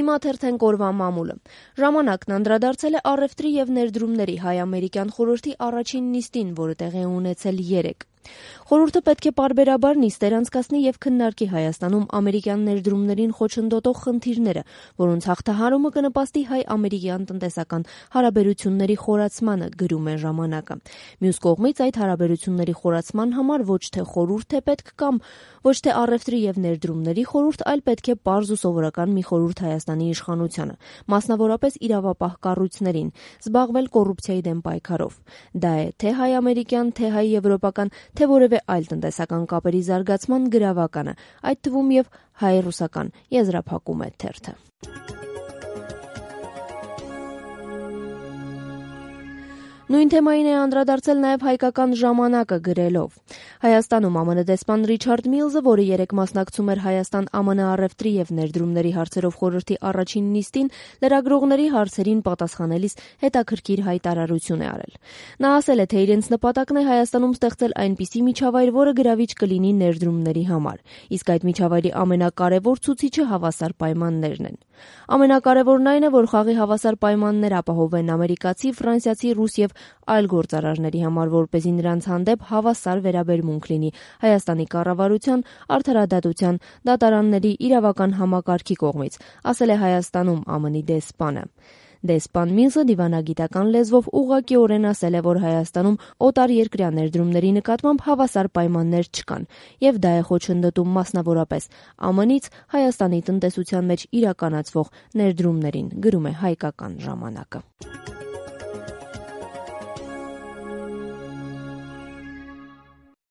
Հիմա թերթենք օրվա մամուլը։ Ժամանակն անդրադարձել է առևտրի եւ ներդրումների հայ-ամերիկյան խորհրդի առաջին նիստին, որը տեղի է ունեցել երեկ։ Խորհուրդը պետք է պարբերաբար նիստեր անցկացնի եւ քննարկի Հայաստանում ամերիկյան ներդրումներին խոչընդոտող խնդիրները, որոնց հաղթահարումը կնպաստի հայ-ամերիկյան տնտեսական հարաբերությունների խորացմանը, գրում է ժամանակը։ Մյուս կողմից այդ հարաբերությունների խորացման համար ոչ թե խորհուրդ է պետք կամ ոչ թե առևտրի եւ ներդրումների խորհուրդ, այլ պետք է պարզ ու սովորական մի խորհուրդ Հայաստանի իշխանությանը, մասնավորապես իրավապահ կառույցներին, զբաղվել կոռուպցիայի դեմ պայքարով։ Դա է թե հայ-ամերիկյան, թե հայ-եվրոպական, թե որևէ այլ տնտեսական կապերի զարգացման գրավականը, այդ թվում եւ հայ-ռուսական, եզրափակում է թերթը։ Նույն թեմային է անդրադարձել նաև հայկական ժամանակը գրելով. Հայաստանում ԱՄՆ դեսպան Ռիչարդ Միլզը, որը երեկ մասնակցում էր Հայաստան-ԱՄՆ առևտրի եւ ներդրումների հարցերով խորհրդի առաջին նիստին, լրագրողների հարցերին պատասխանելիս հետաքրքիր հայտարարություն է արել։ Նա ասել է, թե իրենց նպատակն է Հայաստանում ստեղծել այնպիսի միջավայր, որը գրավիչ կլինի ներդրումների համար, իսկ այդ միջավայրի ամենակարևոր ցուցիչը հավասար պայմաններն են։ Ամենակարևորն այն է, որ խաղի հավասար պայմաններ ապահովեն ամերիկացի, ֆրանսիացի, ռուս եւ այլ գործարարների համար, որպեսզի նրանց հանդեպ հավասար վերաբերմունք լինի Հայաստանի կառավարության, արդարադատության, դատարանների, իրավական համակարգի կողմից, ասել է Հայաստանում ԱՄՆ-ի դեսպանը։ Դեսպան Միլզը դիվանագիտական լեզվով ուղղակիորեն ասել է, որ Հայաստանում օտարերկրյա ներդրումների նկատմամբ հավասար պայմաններ չկան, եւ դա է խոչընդոտում մասնավորապես ԱՄՆ-ից Հայաստանի տնտեսության մեջ իրականացվող ներդրումներին, գրում է հայկական ժամանակը։